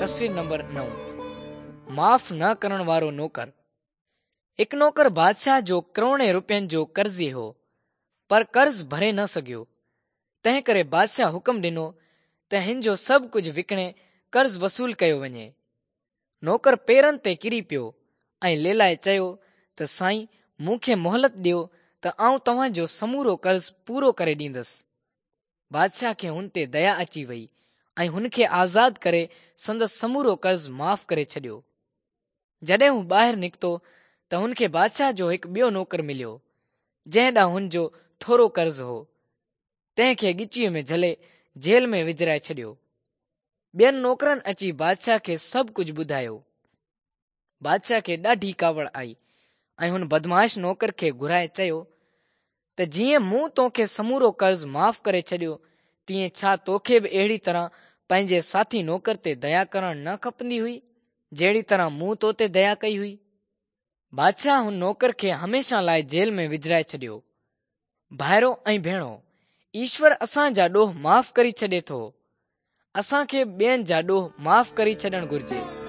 تصوير نمبر 9 معاف نه ڪرڻ وارو نوڪر. هڪ نوڪر بادشاهه جو ڪروڙين روپين جو قرضي هو، پر قرض ڀري نه سگهيو. تنهن ڪري بادشاهه حڪم ڏنو ته هن جو سڀ ڪجهه وڪڻي قرض وصول ڪيو وڃي. نوڪر پيرن تي ڪري پيو ۽ ليلائي چيو ته سائين مون کي مهلت ڏيو ته آئون توهان جو سمورو قرض پورو ڪري ڏيندس. بادشاهه کي هن تي ديا اچي وئي ۽ هن کي آزاد ڪري سندس سمورو قرض معاف ڪري ڇڏيو. جڏهن هو ٻاهر نڪتو ته هن کي بادشاهه جو هڪ ٻيو نوڪر مليو، جنهن ڏانهن هن جو ٿورو قرض هو. تنهن کي ڳچيء ۾ جهلي جيل ۾ وجهرائي ڇڏيو. ٻين نوڪرن اچي بادشاهه کي سڀ ڪجهه ٻڌايو. بادشاهه کي ڏاڍي ڪاوڙ آئي ۽ هن بدمعاش نوڪر کي گهرائي چيو ته جيئن مون توکي سمورو قرض معاف ڪري ڇڏيو تيئن ڇا توکي به اهڙي طرح پنهنجي ساٿي نوڪر تي ديا ڪرڻ نه کپندي هئي جهڙي طرح مون تو تي ديا ڪئي هئي؟ بادشاهه هن نوڪر کي هميشه لاء جيل ۾ وجهرائي ڇڏيو. ڀائرو ۽ ڀيڻو، ايشور اسان جا ڏوهه معاف ڪري ڇڏي ٿو. اسان کي به ٻين جا ڏوهه معاف ڪري ڇڏڻ گهرجي.